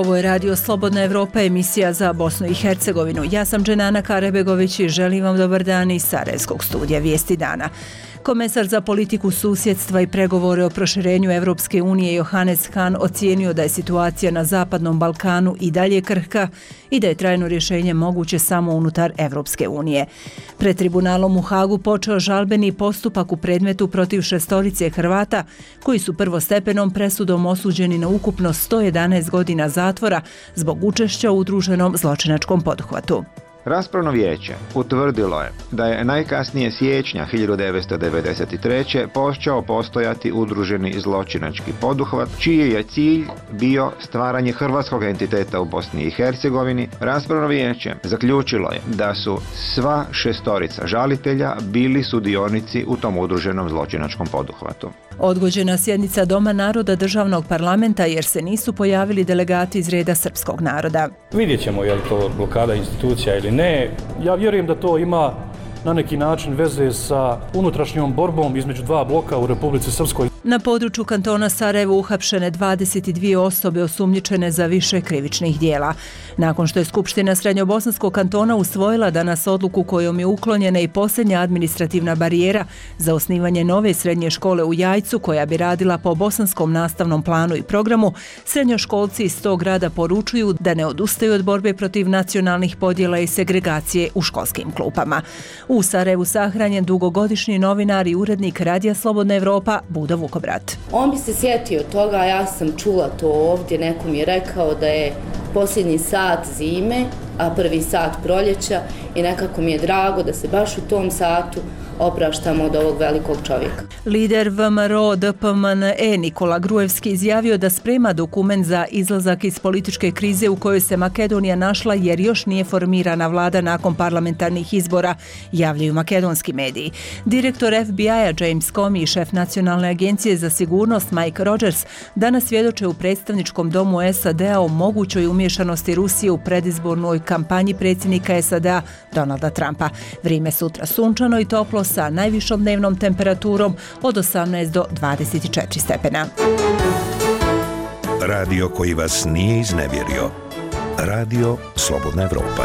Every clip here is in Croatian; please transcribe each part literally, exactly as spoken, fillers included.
Ovo je Radio Slobodna Evropa, emisija za Bosnu i Hercegovinu. Ja sam Dženana Karebegović i želim vam dobar dan iz Sarajevskog studija Vijesti dana. Komesar za politiku susjedstva i pregovore o proširenju Evropske unije Johannes Hahn ocijenio da je situacija na Zapadnom Balkanu i dalje krhka i da je trajno rješenje moguće samo unutar Evropske unije. Pred tribunalom u Hagu počeo žalbeni postupak u predmetu protiv šestorice Hrvata koji su prvostepenom presudom osuđeni na ukupno sto jedanaest godina zatvora zbog učešća u udruženom zločinačkom poduhvatu. Raspravno vijeće utvrdilo je da je najkasnije siječnja hiljadu devetsto devedeset treće počeo postojati udruženi zločinački poduhvat, čiji je cilj bio stvaranje hrvatskog entiteta u Bosni i Hercegovini. Raspravno vijeće zaključilo je da su sva šestorica žalitelja bili sudionici u tom udruženom zločinačkom poduhvatu. Odgođena sjednica Doma naroda državnog parlamenta jer se nisu pojavili delegati iz reda srpskog naroda. Vidjet ćemo je li to blokada institucija ili ne. Ja vjerujem da to ima na neki način veze sa unutrašnjom borbom između dva bloka u Republici Srpskoj. Na području kantona Sarajevo uhapšene dvadeset dvije osobe osumnjičene za više krivičnih dijela. Nakon što je Skupština Srednjobosanskog kantona usvojila danas odluku kojom je uklonjena i posljednja administrativna barijera za osnivanje nove srednje škole u Jajcu koja bi radila po bosanskom nastavnom planu i programu, srednjoškolci iz tog grada poručuju da ne odustaju od borbe protiv nacionalnih podjela i segregacije u školskim klupama. U Sarajevu sahranjen dugogodišnji novinar i urednik Radija Slobodna Evropa Budo Vukobrat. On bi se sjetio toga, ja sam čula to ovdje, neko mi je rekao da je posljednji sat zime, a prvi sat proljeća i nekako mi je drago da se baš u tom satu opraštamo od ovog velikog čovjeka. Lider V M R O D P M N E Nikola Gruevski izjavio da sprema dokument za izlazak iz političke krize u kojoj se Makedonija našla jer još nije formirana vlada nakon parlamentarnih izbora, javljaju makedonski mediji. Direktor F B I-a James Comey i šef Nacionalne agencije za sigurnost Mike Rogers danas svjedoče u predstavničkom domu S A D-a o mogućoj umješanosti Rusije u predizbornoj kampanji predsjednika S A D-a Donalda Trumpa. Vrijeme sutra sunčano i toplo sa najvišom dnevnom temperaturom od osamnaest do dvadeset četiri stepena. Radio koji vas nije iznevjerio. Radio Slobodna Evropa.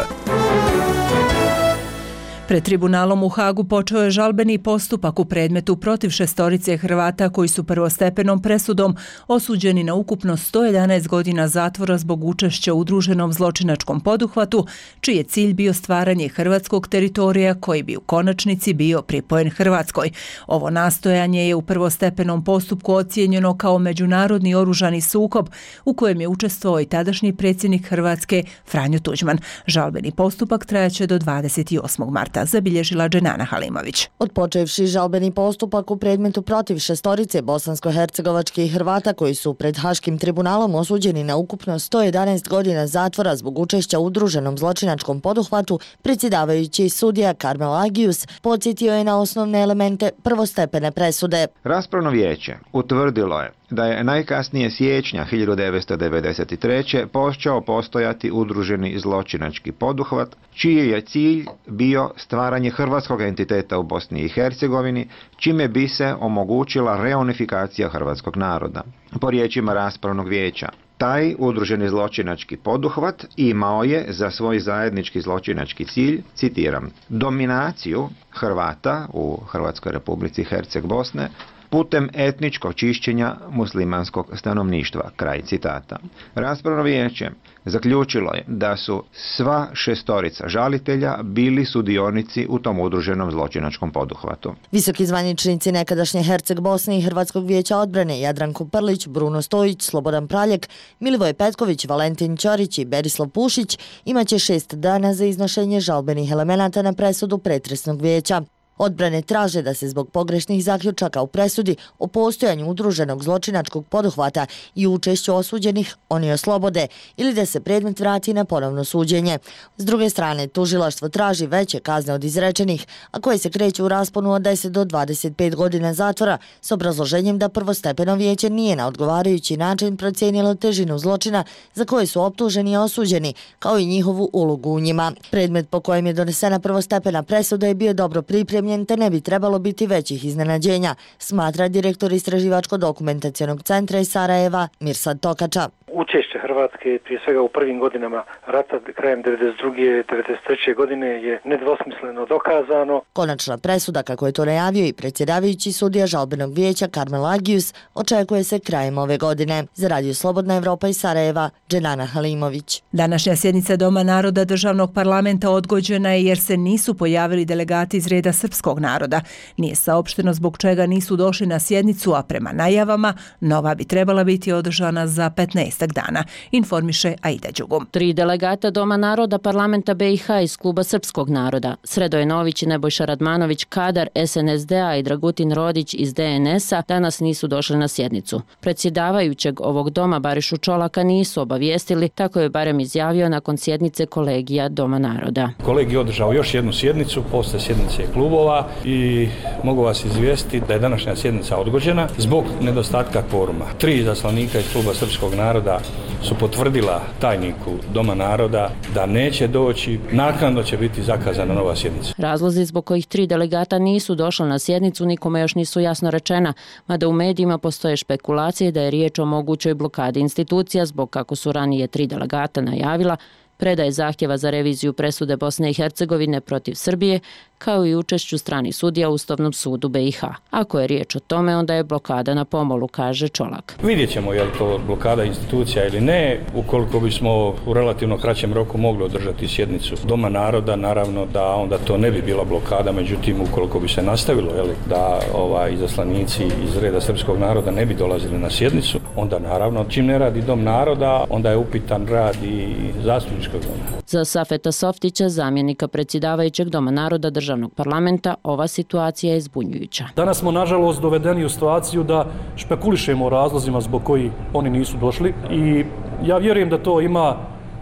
Pred tribunalom u Hagu počeo je žalbeni postupak u predmetu protiv šestorice Hrvata koji su prvostepenom presudom osuđeni na ukupno sto jedanaest godina zatvora zbog učešća u udruženom zločinačkom poduhvatu, čiji je cilj bio stvaranje hrvatskog teritorija koji bi u konačnici bio pripojen Hrvatskoj. Ovo nastojanje je u prvostepenom postupku ocijenjeno kao međunarodni oružani sukob u kojem je učestvovao i tadašnji predsjednik Hrvatske Franjo Tuđman. Žalbeni postupak trajaće do dvadeset osmog marta. Zabilježila Dženana Halimović. Odpočevši žalbeni postupak u predmetu protiv šestorice bosansko-hercegovačkih Hrvata koji su pred Haškim tribunalom osuđeni na ukupno sto jedanaest godina zatvora zbog učešća u udruženom zločinačkom poduhvatu, predsjedavajući sudija Karmel Agius podsjetio je na osnovne elemente prvostepene presude. Raspravno vijeće utvrdilo je da je najkasnije siječnja hiljadu devetsto devedeset treće počeo postojati udruženi zločinački poduhvat, čiji je cilj bio stvaranje hrvatskog entiteta u Bosni i Hercegovini, čime bi se omogućila reunifikacija hrvatskog naroda. Po riječima raspravnog vijeća, taj udruženi zločinački poduhvat imao je za svoj zajednički zločinački cilj, citiram, dominaciju Hrvata u Hrvatskoj Republici Herceg-Bosne putem etničkog čišćenja muslimanskog stanovništva, kraj citata. Raspravno vijeće zaključilo je da su sva šestorica žalitelja bili sudionici u tom udruženom zločinačkom poduhvatu. Visoki zvaničnici nekadašnje Herceg-Bosne i Hrvatskog vijeća odbrane Jadranko Prlić, Bruno Stojić, Slobodan Praljak, Milivoj Petković, Valentin Ćorić i Berislav Pušić imaće šest dana za iznošenje žalbenih elemenata na presudu pretresnog vijeća. Odbrane traže da se zbog pogrešnih zaključaka u presudi o postojanju udruženog zločinačkog poduhvata i učešću osuđenih oni oslobode ili da se predmet vrati na ponovno suđenje. S druge strane, tužilaštvo traži veće kazne od izrečenih, a koje se kreću u rasponu od deset do dvadeset pet godina zatvora s obrazloženjem da prvostepeno vijeće nije na odgovarajući način procijenilo težinu zločina za koje su optuženi i osuđeni, kao i njihovu ulogu u njima. Predmet po kojem je donesena prvostepena presuda je bio dobro pripremljen te ne bi trebalo biti većih iznenađenja, smatra direktor Istraživačko-dokumentacionog centra iz Sarajeva Mirsad Tokača. učešće Hrvatske, prije svega u prvim godinama rata krajem devedeset druge devedeset treće godine je nedvosmisleno dokazano. Konačna presuda, kako je to najavio i predsjedavajući sudija žalbenog vijeća Karmel Agius, očekuje se krajem ove godine. Za Radio Slobodna Evropa iz Sarajeva, Dženana Halimović. Današnja sjednica Doma naroda državnog parlamenta odgođena je jer se nisu pojavili delegati iz reda srpskog naroda. Nije saopšteno zbog čega nisu došli na sjednicu, a prema najavama nova bi trebala biti održana za petnaestak dana, informiše Aida Đugum. Tri delegata Doma naroda parlamenta B i H iz kluba srpskog naroda, Sredoje Nović i Nebojša Radmanović Kadar S N S D-a i Dragutin Rodić iz D N S-a danas nisu došli na sjednicu. Predsjedavajućeg ovog doma Barišu Čolaka nisu obavijestili, tako je barem izjavio nakon sjednice kolegija Doma naroda. Kolegi održao još jednu sjednicu posle sjednice klubova i mogu vas izvijestiti da je današnja sjednica odgođena zbog nedostatka kvoruma. Tri izaslanika iz kluba srpskog naroda su potvrdila tajniku Doma naroda da neće doći, naknadno će biti zakazana nova sjednica. Razlozi zbog kojih tri delegata nisu došli na sjednicu nikome još nisu jasno rečena, mada u medijima postoje špekulacije da je riječ o mogućoj blokadi institucija zbog, kako su ranije tri delegata najavila, predaje zahtjeva za reviziju presude Bosne i Hercegovine protiv Srbije, kao i učešću stranih sudija u Ustavnom sudu B i H. Ako je riječ o tome, onda je blokada na pomolu, kaže Čolak. Vidjet ćemo je li to blokada institucija ili ne. Ukoliko bismo u relativno kraćem roku mogli održati sjednicu Doma naroda, naravno da onda to ne bi bila blokada, međutim ukoliko bi se nastavilo je li, da ovaj, izaslanici iz reda srpskog naroda ne bi dolazili na sjednicu, onda naravno čim ne radi Dom naroda, onda je upitan rad i zastupničkog doma. Za Safeta Softića, zamjenika predsjedavajućeg Doma naroda državnog parlamenta, ova situacija je zbunjujuća. Danas smo nažalost dovedeni u situaciju da špekulišemo o razlozima zbog koji oni nisu došli i ja vjerujem da to ima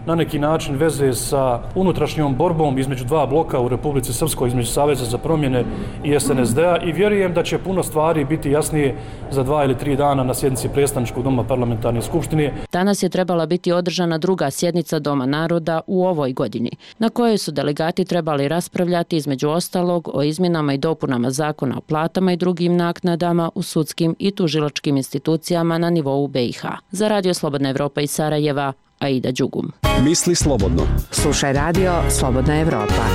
na neki način veze sa unutrašnjom borbom između dva bloka u Republici Srpskoj, između Saveza za promjene i S N S D-a i vjerujem da će puno stvari biti jasnije za dva ili tri dana na sjednici predstavničkog doma parlamentarne skupštine. Danas je trebala biti održana druga sjednica Doma naroda u ovoj godini, na kojoj su delegati trebali raspravljati između ostalog o izmjenama i dopunama zakona o platama i drugim naknadama u sudskim i tužilačkim institucijama na nivou B i H. Za Radio Slobodna Evropa iz Sarajeva, Aida Đugum. Misli slobodno. Slušaj Radio Slobodna Evropa.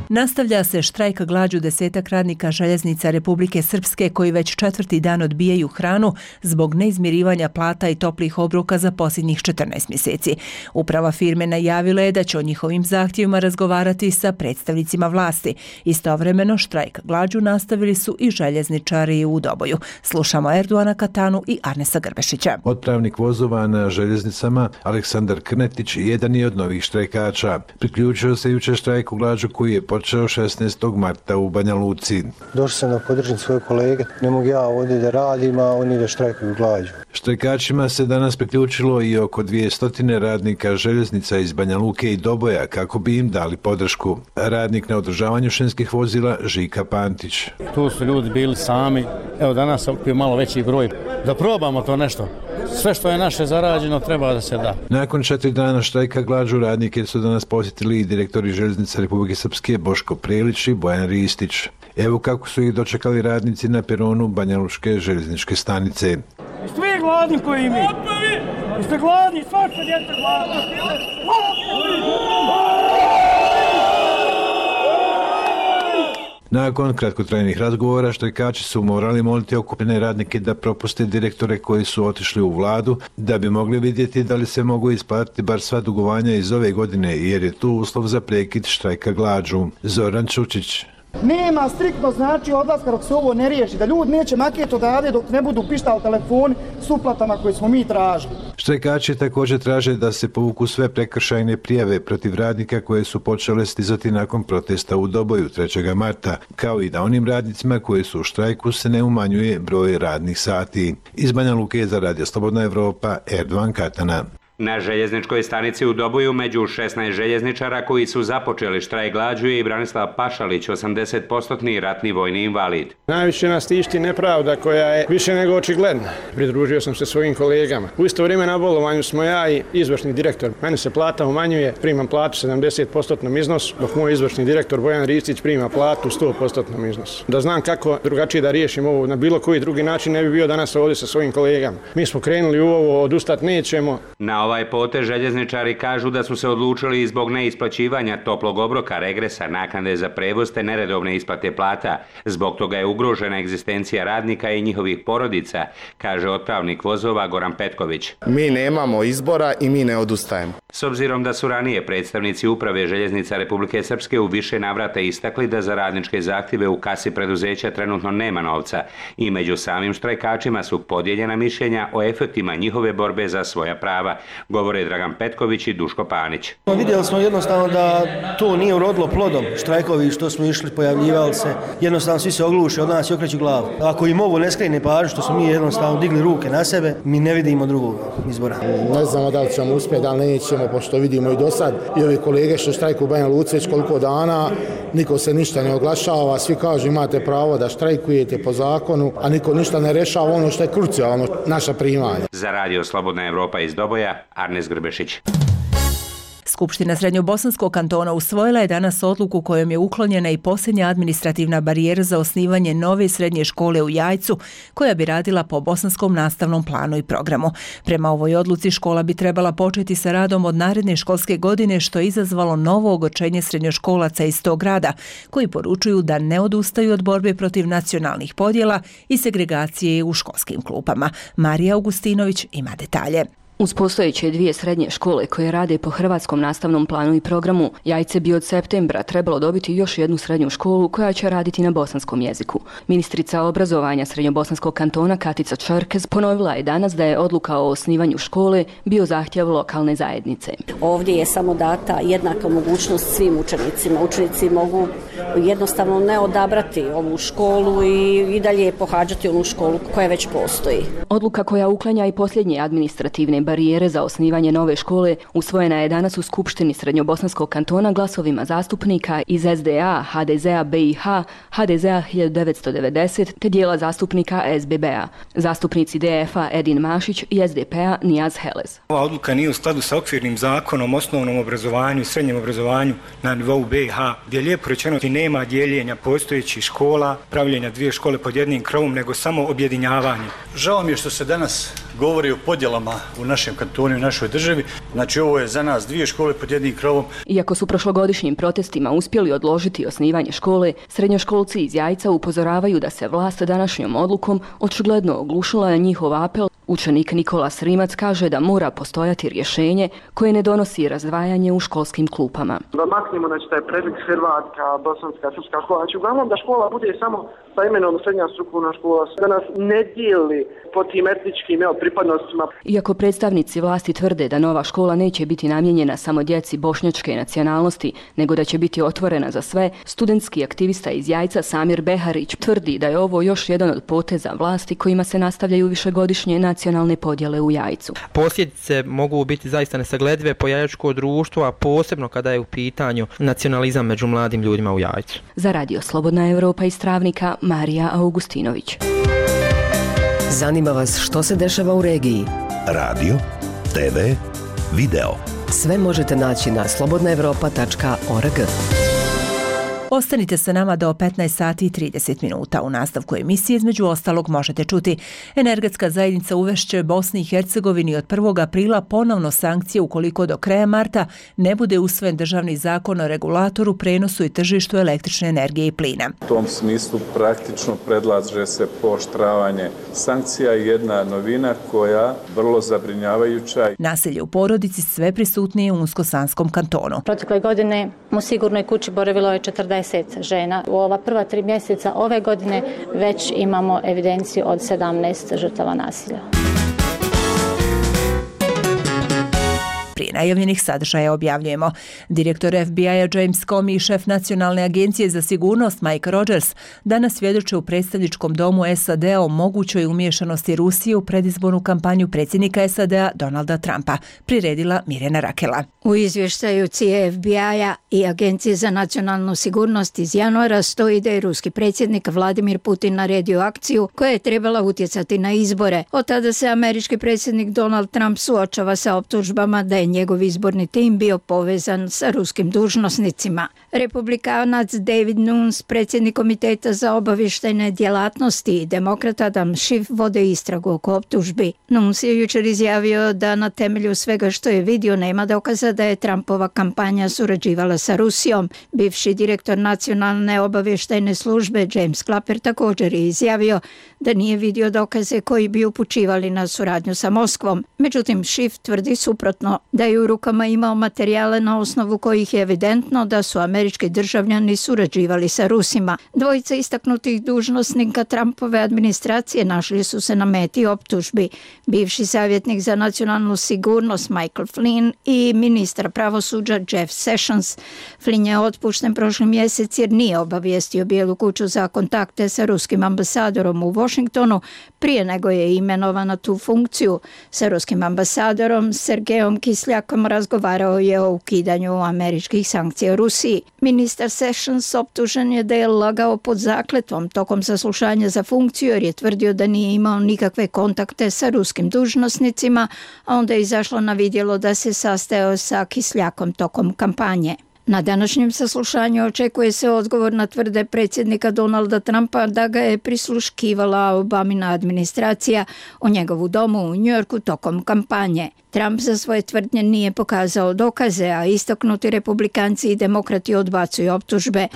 Nastavlja se štrajk glađu desetak radnika željeznica Republike Srpske koji već četvrti dan odbijaju hranu zbog neizmirivanja plata i toplih obroka za posljednjih četrnaest mjeseci. Uprava firme najavila je da će o njihovim zahtjevima razgovarati sa predstavnicima vlasti. Istovremeno štrajk glađu nastavili su i željezničari u Doboju. Slušamo Erduana Katanu i Arnesa Grbešića. Otpravnik vozova na željeznicama Aleksandar Krnetić jedan je od novih štrajkača. Priključio se jučer štrajku glađu koji je počeo šesnaestog marta u Banja Luci. Došao sam da podržim svoje kolege, ne mogu ja ovdje da radim, a oni da štrajkuju glađu. Štrajkačima se danas priključilo i oko dvjesto radnika željeznica iz Banja Luke i Doboja kako bi im dali podršku. Radnik na održavanju šinskih vozila Žika Pantić. Tu su ljudi bili sami, evo danas se okupio malo veći broj, da probamo to nešto. Sve što je naše zarađeno treba da se da. Nakon četiri dana štrajka glađu radnike su danas posjetili i direktori željeznica Republike Srpske Boško Prelić i Bojan Ristić. Evo kako su ih dočekali radnici na peronu Banja Lučke željezničke stanice. Jeste vi gladni koji mi? Jeste gladni? Svašta djeca gladno. Nakon kratkotrajnih razgovora štrajkači su morali moliti okupljene radnike da propuste direktore koji su otišli u vladu da bi mogli vidjeti da li se mogu isplatiti bar sva dugovanja iz ove godine jer je tu uslov za prekid štrajka glađu. Zoran Čučić. Nema striktno znači odlaska dok se ovo ne riješi, da ljudi neće maketi odavde dok ne budu pištali telefoni s uplatama koje smo mi tražili. Štrajkači također traže da se povuku sve prekršajne prijave protiv radnika koje su počele stizati nakon protesta u Doboju trećeg marta, kao i da onim radnicima koji su u štrajku se ne umanjuje broj radnih sati. Iz Banja Luke za Radio Slobodna Evropa, Erdovan Katana. Na željezničkoj stanici u Doboju među šesnaest željezničara koji su započeli štrajk glađu je i Branislav Pašalić, osamdeset posto ratni vojni invalid. Najviše nas tišti nepravda koja je više nego očigledna. Pridružio sam se svojim kolegama. U isto vrijeme na bolovanju smo ja i izvršni direktor. Meni se plata umanjuje, primam platu sedamdeset posto iznos, dok moj izvršni direktor Bojan Ristić prima platu sto posto iznos. Da znam kako drugačije da riješim ovo, na bilo koji drugi način ne bi bio danas ovdje sa svojim kolegama. Mi smo krenuli u ovo, odustat nećemo. Na ovaj potez željezničari kažu da su se odlučili zbog neisplaćivanja toplog obroka, regresa, naknade za prevoz te neredovne isplate plata. Zbog toga je ugrožena egzistencija radnika i njihovih porodica, kaže otpravnik vozova Goran Petković. Mi nemamo izbora i mi ne odustajemo. S obzirom da su ranije predstavnici uprave željeznica Republike Srpske u više navrata istakli da za radničke zahtjeve u kasi preduzeća trenutno nema novca i među samim štrajkačima su podijeljena mišljenja o efektima njihove borbe za svoja prava, govore Dragan Petković i Duško Panić. Vidjeli smo jednostavno da to nije urodilo plodom. Štrajkovi što smo išli, pojavljivali se, jednostavno svi se ogluše od nas i okreću glavu. Ako im ovo ne skrene pažnju što smo mi jednostavno digli ruke na sebe, mi ne vidimo drugog izbora. Ne znamo da li ćemo uspjeti, da li nećemo, pošto vidimo i do sad i ovi kolege što štrajkuju u Banja Luci već koliko dana, niko se ništa ne oglašava, svi kažu imate pravo da štrajkujete po zakonu, a niko ništa ne rešava ono što je krucijalno, naša primanja. Za radio Slobodna Evropa iz Doboja, Arnes Grbešić. Skupština Srednjobosanskog kantona usvojila je danas odluku kojom je uklonjena i posljednja administrativna barijera za osnivanje nove srednje škole u Jajcu, koja bi radila po bosanskom nastavnom planu i programu. Prema ovoj odluci škola bi trebala početi sa radom od naredne školske godine, što je izazvalo novo ogorčenje srednjoškolaca iz tog grada, koji poručuju da ne odustaju od borbe protiv nacionalnih podjela i segregacije u školskim klupama. Marija Augustinović ima detalje. Uz postojeće dvije srednje škole koje rade po hrvatskom nastavnom planu i programu, Jajce bi od septembra trebalo dobiti još jednu srednju školu koja će raditi na bosanskom jeziku. Ministrica obrazovanja Srednjobosanskog kantona Katica Čerkez ponovila je danas da je odluka o osnivanju škole bio zahtjev lokalne zajednice. Ovdje je samo data jednaka mogućnost svim učenicima. Učenici mogu jednostavno ne odabrati ovu školu i, i dalje pohađati onu školu koja već postoji. Odluka koja uklanja i posljednje administrativne barijere za osnivanje nove škole usvojena je danas u Skupštini Srednjobosanskog kantona glasovima zastupnika iz S D A, H D Z A B I H, H D Z A hiljadu devetsto devedeset te dijela zastupnika S B B-a. Zastupnici D F A Edin Mašić i S D P-a Nijaz Helez. Ova odluka nije u skladu sa okvirnim zakonom o osnovnom obrazovanju i srednjem obrazovanju na nivou B i H, gdje je lijepo rečeno da nema dijeljenja postojećih škola, pravljenja dvije škole pod jednim krovom, nego samo objedinjavanje. Žao mi je što se danas govori o podjelama u našem kantonu i u našoj državi. Znači ovo je za nas dvije škole pod jednim krovom. Iako su prošlogodišnjim protestima uspjeli odložiti osnivanje škole, srednjoškolci iz Jajca upozoravaju da se vlast današnjom odlukom očigledno oglušila na njihov apel. Učenik Nikola Srimac kaže da mora postojati rješenje koje ne donosi razdvajanje u školskim klupama. Da maknemo znači taj predmet hrvatska, bosanska, srpska škola. Znači uglavnom da škola bude samo sa imenom srednja strukovna škola, da nas ne dijeli po tim etničkim evo, pripadnostima. Iako predstavnici vlasti tvrde da nova škola neće biti namijenjena samo djeci bošnjačke nacionalnosti, nego da će biti otvorena za sve, studentski aktivista iz Jajca Samir Beharić tvrdi da je ovo još jedan od poteza vlasti kojima se nastavljaju višegodišnje nacionalne podjele u Jajcu. Posljedice mogu biti zaista nesagledive po jajačko društvo, a posebno kada je u pitanju nacionalizam među mladim ljudima u Jajcu. Za radio Slobodna Evropa iz Travnika, Marija Augustinović. Zanima vas što se dešava u regiji? Radio, T V, video. Sve možete naći na slobodna evropa tačka org. Ostanite sa nama do petnaest sati i trideset minuta. U nastavku emisije između ostalog možete čuti: energetska zajednica uvešće Bosni i Hercegovini od prvog aprila ponovno sankcije ukoliko do kraja marta ne bude usvojen državni zakon o regulatoru, prenosu i tržištu električne energije i plina. U tom smislu praktično predlaže se pooštravanje sankcija i jedna novina koja vrlo zabrinjavajuća. Nasilje u porodici sve prisutnije u Unsko-Sanskom kantonu. Protekle godine u sigurnoj kući boravilo je četrdeset žena. U ova prva tri mjeseca ove godine već imamo evidenciju od sedamnaest žrtava nasilja. Prije najavljenih sadržaja objavljujemo. Direktor F B I-a James Comey i šef Nacionalne agencije za sigurnost Mike Rogers danas svjedoče u predstavničkom domu S A D-a o mogućoj umiješanosti Rusije u predizbornu kampanju predsjednika S A D-a Donalda Trumpa, priredila Mirjana Rakela. U izvještaju C I A F B I-a i Agencije za nacionalnu sigurnost iz januara stoji da je ruski predsjednik Vladimir Putin naredio akciju koja je trebala utjecati na izbore. Od tada se američki predsjednik Donald Trump suočava sa optužbama da je njegov izborni tim bio povezan sa ruskim dužnosnicima. Republikanac David Nunes, predsjednik Komiteta za obavještajne djelatnosti, i demokrat Adam Schiff vode istragu oko optužbi. Nunes je jučer izjavio da na temelju svega što je vidio nema dokaza da je Trumpova kampanja surađivala sa Rusijom. Bivši direktor Nacionalne obavještajne službe James Clapper također je izjavio da nije vidio dokaze koji bi upućivali na suradnju sa Moskvom. Međutim, Schiff tvrdi suprotno, da je u rukama imao materijale na osnovu kojih je evidentno da su američki državljani surađivali sa Rusima. Dvojica istaknutih dužnosnika Trumpove administracije našli su se na meti optužbi. Bivši savjetnik za nacionalnu sigurnost Michael Flynn i ministar pravosuđa Jeff Sessions. Flynn je otpušten prošli mjesec jer nije obavijestio Bijelu kuću za kontakte sa ruskim ambasadorom u Washingtonu prije nego je imenovan na tu funkciju. Sa ruskim ambasadorom Sergejom Kisljakom razgovarao je o ukidanju američkih sankcija Rusiji. Ministar Sessions optužen je da je lagao pod zakletvom tokom saslušanja za funkciju jer je tvrdio da nije imao nikakve kontakte sa ruskim dužnosnicima, a onda je izašlo na vidjelo da se sastajao sa Kisljakom tokom kampanje. Na današnjem saslušanju očekuje se odgovor na tvrde predsjednika Donalda Trumpa da ga je prisluškivala Obamina administracija u njegovu domu u Njujorku tokom kampanje. Trump za svoje tvrdnje nije pokazao dokaze, a istaknuti republikanci i demokrati odbacuju optužbe.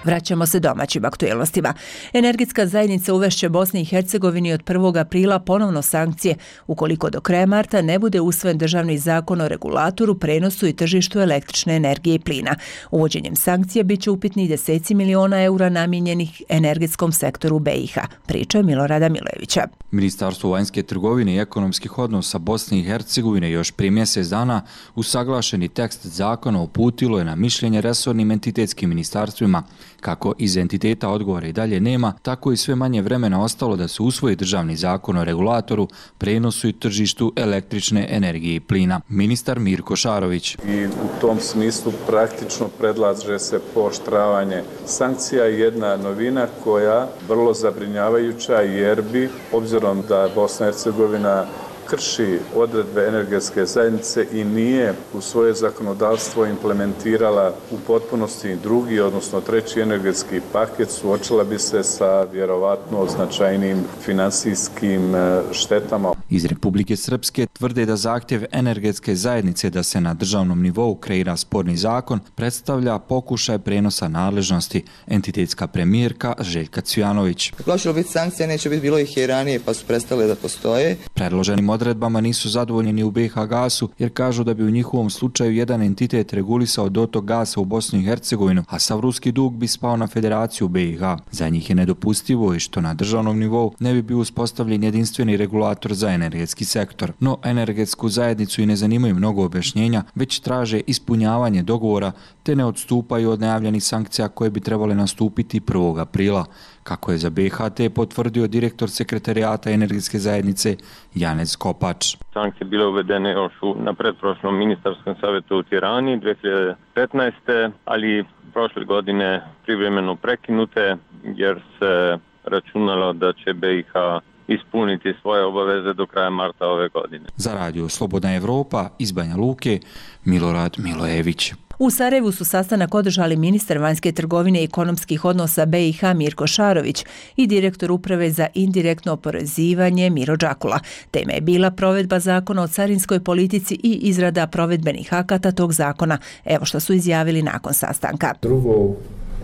Vraćamo se domaćim aktualnostima. Energetska zajednica uvešće Bosni i Hercegovini od prvog aprila ponovno sankcije ukoliko do kraja marta ne bude usvojen državni zakon o regulatoru, prenosu i tržištu električne energije i plina. Uvođenjem sankcija biće upitni deseci miliona eura namijenjenih energetskom sektoru B i H. Priča je Milorada Milojevića. Ministarstvo vanjske trgovine i ekonomskih odnosa Bosne i Hercegovine još prije mjesec dana usaglašeni tekst zakona uputilo je na mišljenje resornim entitetskim ministarstvima. Kako iz entiteta odgovora i dalje nema, tako i sve manje vremena ostalo da se usvoji državni zakon o regulatoru, prenosu i tržištu električne energije i plina. Ministar Mirko Šarović. I u tom smislu praktično predlaže se pooštravanje sankcija, jedna novina koja vrlo zabrinjavajuća jer bi, obzirom da Bosna i Hercegovina krši odredbe energetske zajednice i nije u svoje zakonodavstvo implementirala u potpunosti drugi, odnosno treći energetski paket, suočila bi se sa vjerovatno značajnim finansijskim štetama. Iz Republike Srpske tvrde da zahtjev energetske zajednice da se na državnom nivou kreira sporni zakon predstavlja pokušaj prenosa nadležnosti. Entitetska premijerka Željka Cvijanović. Kako će biti sankcija, neće biti, bilo ih i ranije pa su prestale da postoje. Predloženim odredbama nisu zadovoljni ni u B i H gasu jer kažu da bi u njihovom slučaju jedan entitet regulisao dotok gasa u Bosnu i Hercegovinu, a sav ruski dug bi spao na Federaciju B i H. Za njih je nedopustivo i što na državnom nivou ne bi bio uspostavljen jedinstveni regulator za energetski sektor. No energetsku zajednicu i ne zanimaju mnogo objašnjenja, već traže ispunjavanje dogovora te ne odstupaju od najavljenih sankcija koje bi trebale nastupiti prvog aprila. Kako je za B i H T potvrdio direktor sekretarijata energetske zajednice Janez Kopač. Sankcije bile uvedene još na pretprošlom ministarskom savjetu u Tirani dvije hiljade petnaeste. ali prošle godine privremeno prekinute jer se računalo da će B i H ispuniti svoje obaveze do kraja marta ove godine. Za radio Slobodna Evropa iz Banja Luke, Milorad Milojević. U Sarajevu su sastanak održali ministar vanjske trgovine i ekonomskih odnosa B i H Mirko Šarović i direktor uprave za indirektno oporezivanje Miro Đakula. Tema je bila provedba zakona o carinskoj politici i izrada provedbenih akata tog zakona. Evo što su izjavili nakon sastanka. Drugo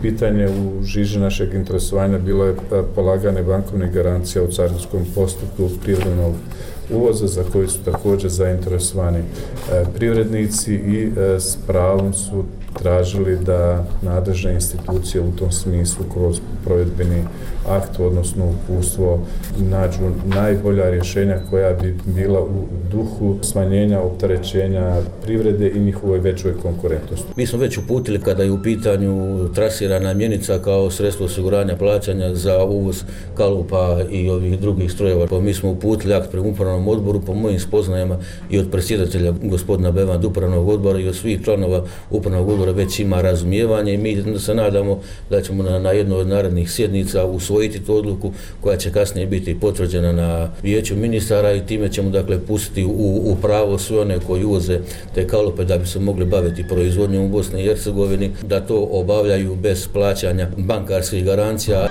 pitanje u žiži našeg interesovanja bilo je polaganje bankovnih garancija u carinskom postupku privrednog uvoza za koji su također zainteresovani privrednici i s pravom su tražili da nadležne institucije u tom smislu kroz provedbeni akt, odnosno uputstvo, nađu najbolja rješenja koja bi bila u duhu smanjenja opterećenja privrede i njihovoj većoj konkurentnosti. Mi smo već uputili kada je u pitanju trasirana mjenica kao sredstvo osiguranja plaćanja za uvoz kalupa i ovih drugih strojeva. Pa mi smo uputili akt prema upravnom odboru, po mojim spoznajama i od predsjedatelja gospodina Bevanda upravnog odbora i od svih članova upravnog odbora već ima razumijevanje i mi se nadamo da ćemo na, na jednoj od narednih sjednica usvojiti tu odluku koja će kasnije biti potvrđena na vijeću ministara i time ćemo dakle pustiti u, u pravo sve one koji uvoze te kalupe da bi se mogli baviti proizvodnjom u Bosni i Hercegovini, da to obavljaju bez plaćanja bankarskih garancija.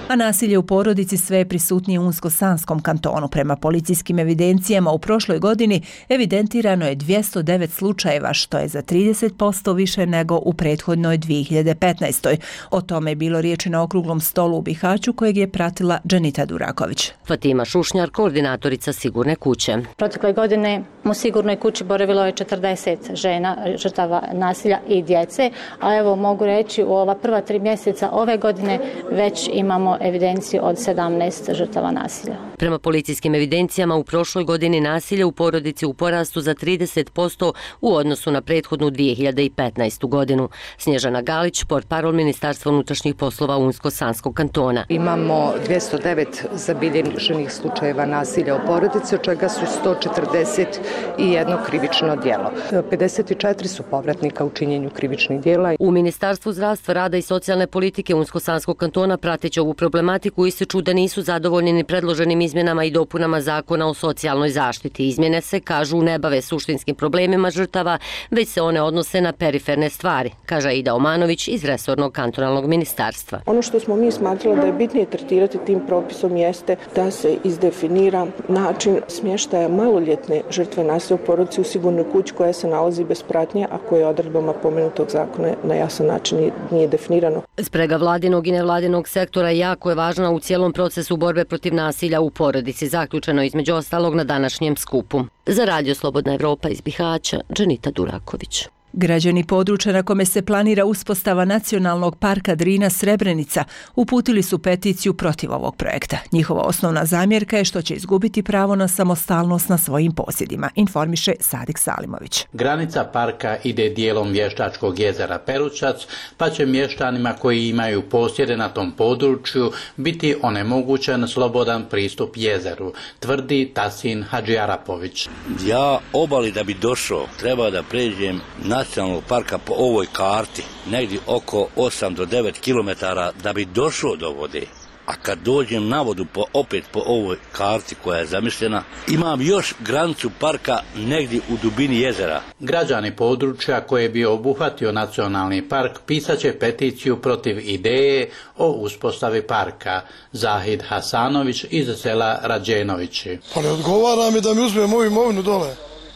A nasilje u porodici sve je prisutnije u Unsko-Sanskom kantonu. Prema policijskim evidencijama u prošloj godini evidentirano je dvjesto devet slučajeva, što je za trideset posto više nego u prethodnoj dvije hiljade petnaestoj. O tome je bilo riječi na okruglom stolu u Bihaću kojeg je pratila Dženita Duraković. Fatima Šušnjar, koordinatorica Sigurne kuće. Protekle godine u Sigurnoj kući boravilo je četrdeset žena žrtava nasilja i djece, a evo mogu reći u ova prva tri mjeseca ove godine već imamo evidenciju od sedamnaest žrtava nasilja. Prema policijskim evidencijama u prošloj godini nasilje u porodici u porastu za trideset posto u odnosu na prethodnu dvije hiljade petnaestu godinu. Snježana Galić, portparol Ministarstva unutrašnjih poslova Unsko-Sanskog kantona. Imamo dvjesto devet zabilježenih slučajeva nasilja u porodici, od čega su sto četrdeset jedno krivično djelo. pedeset četiri su povratnika u činjenju krivičnih djela. U Ministarstvu zdravstva, rada i socijalne politike Unsko-Sanskog kantona prateći ovu problematiku ističu da nisu zadovoljni ni predloženim izmjenama i dopunama Zakona o socijalnoj zaštiti. Izmjene se, kažu, ne bave suštinskim problemima žrtava, već se one odnose na periferne stvari, kaže Aida Omanović iz resornog kantonalnog ministarstva. Ono što smo mi smatrali da je bitnije tretirati tim propisom jeste da se izdefinira način smještaja maloljetne žrtve nasilja u porodici u sigurnoj kući koja se nalazi bez pratnje, a koje odredbama pomenutog zakona na jasan način nije definirano. Sprega vladinog i nevladinog sektora jako je važna u cijelom procesu borbe protiv nasilja u porodici, zaključeno između ostalog na današnjem skupu. Za Radio Slobodna Evropa iz Bihaća, Dženita Duraković. Građani područja na kome se planira uspostava nacionalnog parka Drina Srebrenica uputili su peticiju protiv ovog projekta. Njihova osnovna zamjerka je što će izgubiti pravo na samostalnost na svojim posjedima, informiše Sadik Salimović. Granica parka ide dijelom Vještačkog jezera Peručac, pa će mještanima koji imaju posjede na tom području biti onemogućen slobodan pristup jezeru, tvrdi Tasin Hadžiarapović. Ja obali da bi došao, treba da pređem na nacionalnog parka po ovoj karti negdje oko osam do devet kilometara da bi došao do vode. A kad dođem na vodu po, opet po ovoj karti koja je zamišljena, imam još granicu parka negdje u dubini jezera. Građani područja koje bi obuhvatio nacionalni park pisaće peticiju protiv ideje o uspostavi parka. Zahid Hasanović iz sela Rađenovići. Pa ne odgovara mi da mi uzme moju imovinu dole.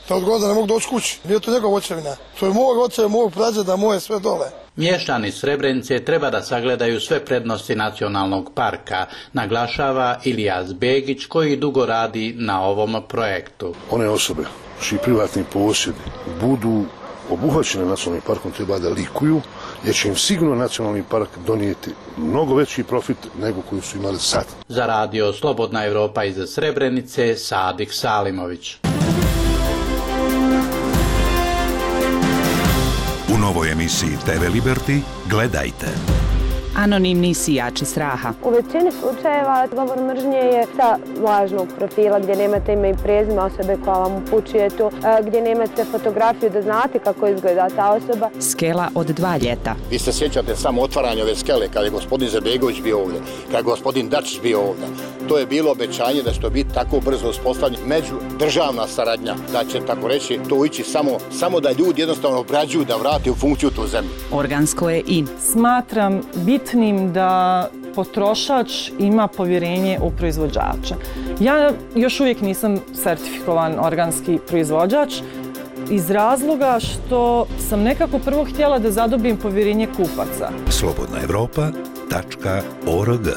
Da odgoda ne mogu doći kući. Nije to njegov očevina. To je mog očeva, mog prađeda, moje sve dole. Mještani Srebrenice treba da sagledaju sve prednosti nacionalnog parka, naglašava Ilijas Begić koji dugo radi na ovom projektu. One osobe čiji privatni posjedi budu obuhvaćene nacionalnim parkom treba da likuju, jer će im sigurno nacionalni park donijeti mnogo veći profit nego koji su imali sad. Za Radio Slobodna Evropa iz Srebrenice, Sadik Salimović. U novoj emisiji te ve Liberty gledajte. Anonimni sijači straha. U većini slučajeva govor mržnje je sa lažnog profila gdje nemate ime i prezime osobe koja vam upućuje to, gdje nemate fotografiju da znate kako izgleda ta osoba. Skela od dva ljeta. Vi se sjećate samo otvaranja ove skele kada je gospodin Zabegović bio ovdje, kada je gospodin Dačić bio ovdje. To je bilo obećanje da će to biti tako brzo uspostavljeno međudržavna saradnja, da će tako reći to ići samo, samo da ljudi jednostavno obrađuju da vrate u funkciju tu zemlju. Organsko je in. Smatram bitnim da potrošač ima povjerenje u proizvođača. Ja još uvijek nisam sertifikovan organski proizvođač iz razloga što sam nekako prvo htjela da zadobim povjerenje kupaca. slobodna evropa tačka org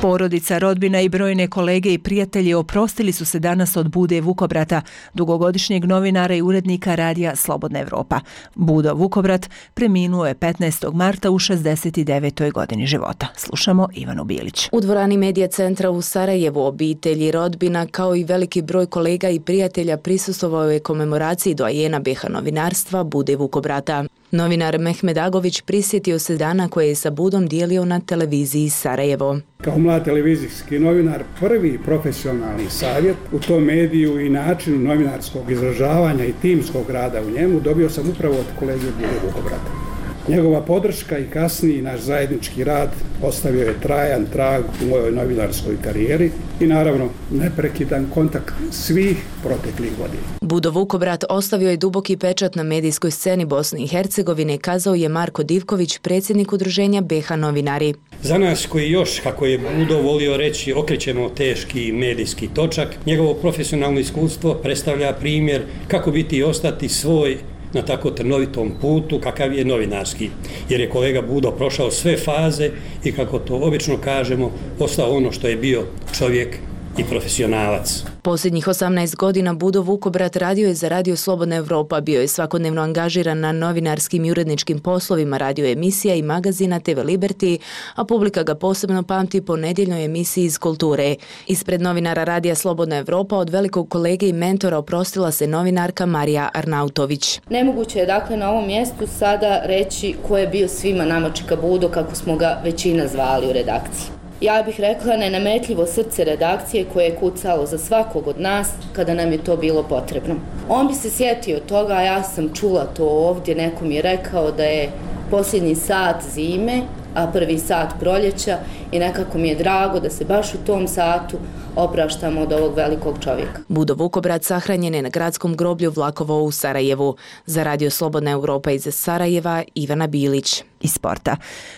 Porodica, rodbina i brojne kolege i prijatelji oprostili su se danas od Bude Vukobrata, dugogodišnjeg novinara i urednika radija Slobodna Evropa. Budo Vukobrat preminuo je petnaestog marta u šezdeset devetoj godini života. Slušamo Ivanu Bilić. U dvorani Medija centra u Sarajevu obitelji, rodbina kao i veliki broj kolega i prijatelja prisustvovao je komemoraciji doajena be ha novinarstva Bude Vukobrata. Novinar Mehmed Agović prisjetio se dana koje je sa Budom dijelio na televiziji Sarajevo. Kao mlad televizijski novinar, prvi profesionalni savjet u tom mediju i načinu novinarskog izražavanja i timskog rada u njemu dobio sam upravo od kolege Bude Vukobrata. Njegova podrška i kasniji naš zajednički rad ostavio je trajan trag u mojoj novinarskoj karijeri i naravno neprekidan kontakt svih proteklih godina. Budo Vukobrat ostavio je duboki pečat na medijskoj sceni Bosne i Hercegovine, kazao je Marko Divković, predsjednik udruženja be ha novinari. Za nas koji još, kako je Budo volio reći, okrećemo teški medijski točak, njegovo profesionalno iskustvo predstavlja primjer kako biti i ostati svoj na tako trnovitom putu kakav je novinarski, jer je kolega Budo prošao sve faze i, kako to obično kažemo, ostao ono što je bio čovjek i profesionalac. Posljednjih osamnaest godina Budo Vukobrat radio je za Radio Slobodna Evropa, bio je svakodnevno angažiran na novinarskim i uredničkim poslovima radio emisija i magazina te ve Liberty, a publika ga posebno pamti po nedjeljnoj emisiji iz kulture. Ispred novinara Radija Slobodna Evropa od velikog kolege i mentora oprostila se novinarka Marija Arnautović. Nemoguće je dakle na ovom mjestu sada reći ko je bio svima nama Čika Budo, kako smo ga većina zvali u redakciji. Ja bih rekla nenametljivo srce redakcije koje je kucalo za svakog od nas kada nam je to bilo potrebno. On bi se sjetio toga, a ja sam čula to ovdje, neko mi je rekao da je posljednji sat zime, a prvi sat proljeća i nekako mi je drago da se baš u tom satu opraštamo od ovog velikog čovjeka. Budo Vukobrat sahranjen je na gradskom groblju Vlakovo u Sarajevu. Za Radio Slobodna Evropa iz Sarajeva, Ivana Bilić. Iz sporta.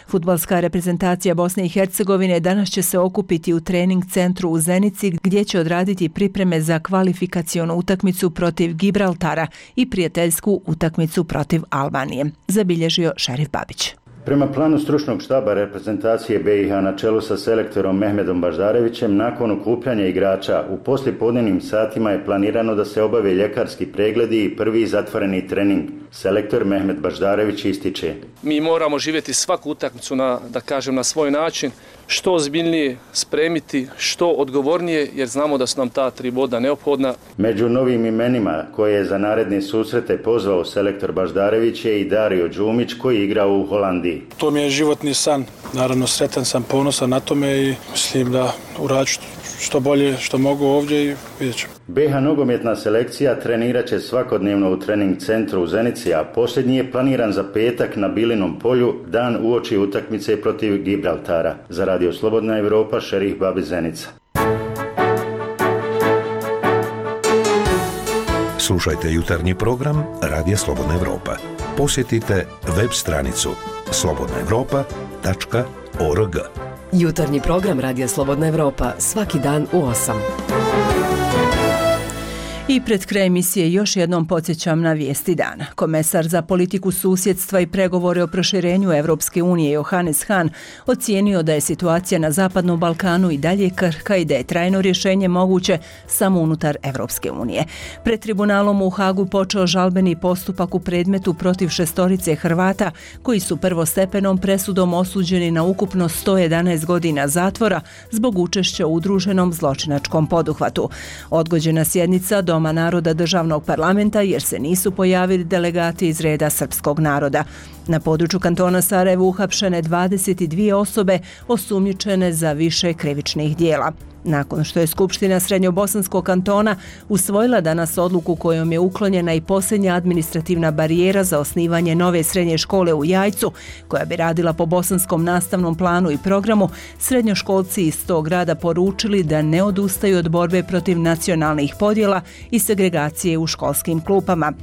Fudbalska reprezentacija Bosne i Hercegovine danas će se okupiti u trening centru u Zenici, gdje će odraditi pripreme za kvalifikacionu utakmicu protiv Gibraltara i prijateljsku utakmicu protiv Albanije, zabilježio Šerif Babić. Prema planu stručnog štaba reprezentacije be i ha na čelu sa selektorom Mehmedom Baždarevićem, nakon okupljanja igrača u poslijepodnevnim satima je planirano da se obave ljekarski pregledi i prvi zatvoreni trening. Selektor Mehmed Baždarević ističe: Mi moramo živjeti svaku utakmicu na, da kažem, na svoj način, što ozbiljnije spremiti, što odgovornije, jer znamo da su nam ta tri boda neophodna. Među novim imenima koje je za naredne susrete pozvao selektor Baždarević je i Dario Đumić, koji igra u Holandiji. To mi je životni san, naravno sretan sam, ponosan na tome i mislim da urađu što bolje što mogu ovdje i vidjet ćemo. be i ha nogometna selekcija trenirat će svakodnevno u trening centru u Zenici, a posljednji je planiran za petak na Bilinom polju, dan uoči utakmice protiv Gibraltara. Za Radio Slobodna Evropa, Šerif Babić, Zenica. Slušajte jutarnji program Radija Slobodna Evropa. Posjetite web stranicu slobodna evropa tačka org. Jutarnji program Radija Slobodna Evropa svaki dan u osam. I pred kraj emisije još jednom podsjećam na vijesti dana. Komesar za politiku susjedstva i pregovore o proširenju Evropske unije Johannes Hahn ocijenio da je situacija na Zapadnom Balkanu i dalje krhka i da je trajno rješenje moguće samo unutar Evropske unije. Pred tribunalom u Hagu počeo žalbeni postupak u predmetu protiv šestorice Hrvata koji su prvostepenom presudom osuđeni na ukupno sto jedanaest godina zatvora zbog učešća u udruženom zločinačkom poduhvatu. Odgođena sjednica do Doma naroda državnog parlamenta jer se nisu pojavili delegati iz reda srpskog naroda. Na području kantona Sarajevo uhapšene dvadeset dvije osobe osumnjičene za više krivičnih dijela. Nakon što je Skupština Srednjobosanskog kantona usvojila danas odluku kojom je uklonjena i posljednja administrativna barijera za osnivanje nove srednje škole u Jajcu, koja bi radila po bosanskom nastavnom planu i programu, srednjoškolci iz tog grada poručili da ne odustaju od borbe protiv nacionalnih podjela i segregacije u školskim klupama.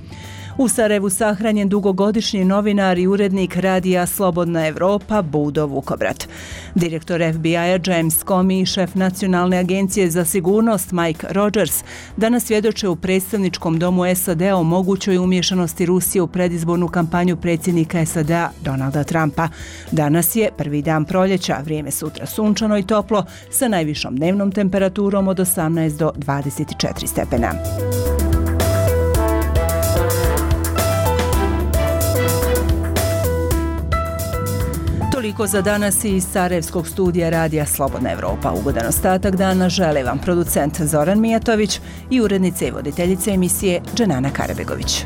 U Sarajevu sahranjen dugogodišnji novinar i urednik radija Slobodna Evropa Budo Vukobrat. Direktor F B I-a James Comey i šef Nacionalne agencije za sigurnost Mike Rogers danas svjedoče u predstavničkom domu S A D-a o mogućoj umješanosti Rusije u predizbornu kampanju predsjednika S A D-a Donalda Trumpa. Danas je prvi dan proljeća, vrijeme sutra sunčano i toplo sa najvišom dnevnom temperaturom od osamnaest do dvadeset četiri stepena. Toliko za danas iz Sarajevskog studija radija Slobodna Evropa. Ugodan ostatak dana žele vam producent Zoran Mijatović i urednica i voditeljica emisije Dženana Karabegović.